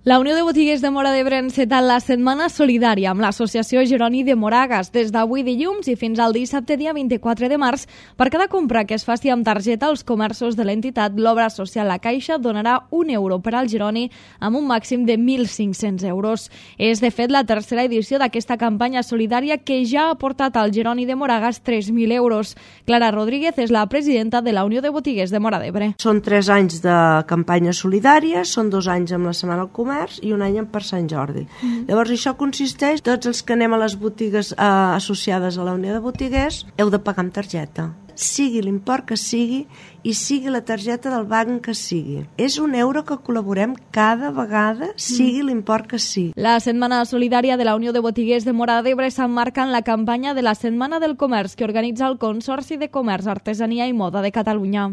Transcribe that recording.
La Unió de Botiguers de Móra d'Ebre ha encetat la Setmana Solidària amb l'Associació Jeroni de Moragas des d'avui dilluns i fins al dissabte dia 24 de març. Per cada compra que es faci amb targeta als comerços de l'entitat, l'obra social La Caixa donarà €1 per al Jeroni amb un màxim de 1.500 euros. És, de fet, la tercera edició d'aquesta campanya solidària que ja ha portat al Jeroni de Moragas 3.000 euros. Clara Rodríguez és la presidenta de la Unió de Botiguers de Móra d'Ebre. Són 3 anys de campanya solidària, són 2 anys amb la Setmana del Comerç i un any per Sant Jordi. Llavors això consisteix, tots els que anem a les botigues associades a la Unió de Botiguers heu de pagar amb targeta, sigui l'import que sigui i sigui la targeta del banc que sigui. És €1 que col·laborem cada vegada, sigui l'import que sigui. La Setmana Solidària de la Unió de Botiguers de Móra d'Ebre s'emmarca en la campanya de la Setmana del Comerç que organitza el Consorci de Comerç, Artesania i Moda de Catalunya.